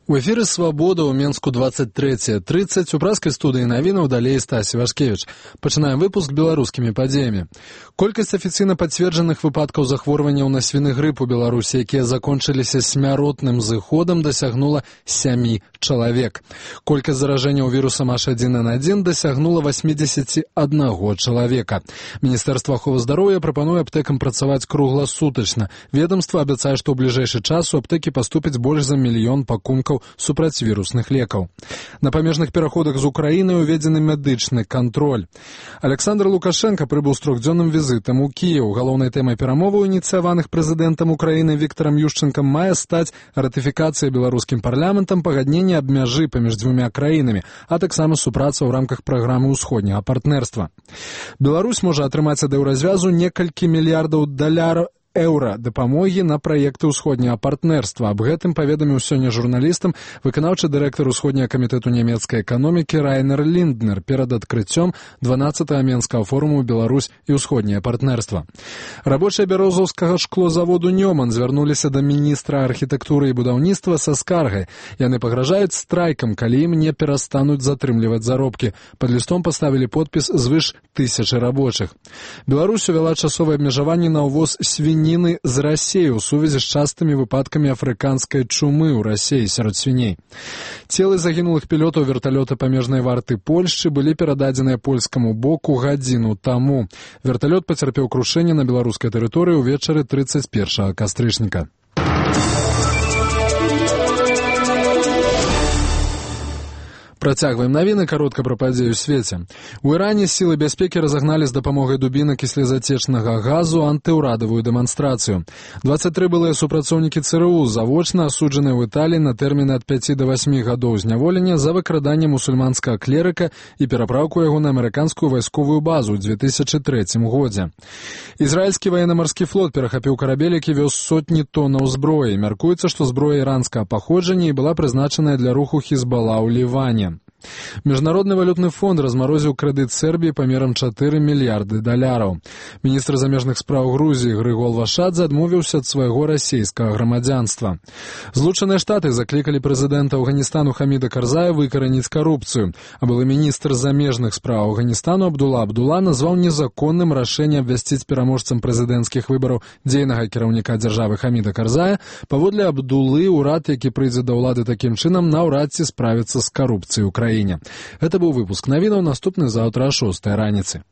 У эфіры «Свабода» ў Менску 23:30 у праскай студыі навінаў далей Стасі Вашкевіч. Пачынаем выпуск беларускімі падзеямі. Колькасць афіцыйна пацверджаных выпадкаў захворванняў на свіны грып у Беларусі, якія закончыліся смяротным зыходам, дасягнула 7 чалавек. Колькасць заражэнняў вірусам H1N1 дасягнула 81 чалавека. Міністэрства аховы здароўя прапануе аптэкам працаваць кругласутачна. Ведомства абяцае, што ў бліжэйшы час у аптэкі паступіць больш за 1 мільён пакункаў супрацьвірусных лекаў. На памежных пераходах з Украінай уведзены медычны кантроль. Александр Лукашенко прыбыў з 3-дзённым візітам у Кіеў. Галоўнай тэмай перамоваў, ініцыяваных прэзідэнтам Украіны Віктарам Ющэнкам, мае стаць ратыфікацыя беларускім парламентам пагаднення аб мяжы паміж дзвюма краінамі, а таксама супраца ў рамках праграмы ўсходняга партнерства. Беларусь можа атрымаць ад еўразвязу некалькі мільярдаў еўра дапамогі на праекты ўсходняга партнерства. Аб гэтым паведаміў сёння журналістам выканаўчы дырэктар Усходняга камітэту нямецкай эканомікі Райнер Лінднер перад адкрыццём 12-го Менскага форуму «Беларусь і ўсходняе партнерства». Рабочыя бярозаўскага шклозаводу «Нёман» звярнуліся да міністра архітэктуры і будаўніцтва са скаргай. Яны пагражаюць страйкам, калі ім не перастануць затрымліваць заробкі. Пад лістом паставілі подпіс звыш 1000 рабочых. Беларусь увяла часовае абмежаванне на ўвоз свінні з Расіі ў сувязі з частымі выпадкамі афрыканскай чумы ў Расіі сярод свіней. Целы загінулых пілётаў верталёта памежнай варты Польшчы былі перададзеныя польскаму боку гадзіну таму. Верталёт пацярпеў крушэнне на беларускай тэрыторыі ўвечары 31 кастрычніка. Працягваем навіны, каротка пра падзеі ў свеце. У Іране сілы бяспекі разагналі з дапамогай дубінак і слезацечнага газу антыўрадавую дэманстрацыю. 23 былыя супрацоўнікі ЦРУ завочна асуджаныя ў Італіі на тэрміны ад 5 до 8 гадоў зняволення за выкраданне мусульманскага клерыка і перапраўку яго на амерыканскую вайсковую базу ў 2003 годзе. Ізраільскі ваенна-марскі флот перахапіў карабель, які вёз сотні тоннаў зброі. Мяркуецца, што зброя іранскага паходжання і была прызначаная для руху Хізбала ў Ліване. Міжнародны валютны фонд размарозіў крэдыт Сербіі памерам 4 мільярды даляраў. Міністр замежных спраў Грузіі Грыгол Вашадзе адмовіўся ад свайго расейскага грамадзянства. Злучаныя Штаты заклікалі прэзідэнта Афганістану Хаміда Карзая выкараніць карупцыю, а былы міністр замежных спраў Афганістану Абдула Абдула назваў незаконным рашэнне абвясціць пераможцам прэзідэнцкіх выбараў дзейнага кіраўніка дзяржавы Хаміда Карзая. Паводле Абдулы, урад, які прыйдзе да ўлады такім чынам, наўрад ці справіцца з карупцыяй у краіне. Гэта быў выпуск навінаў, наступны заўтра о 6 раніцы.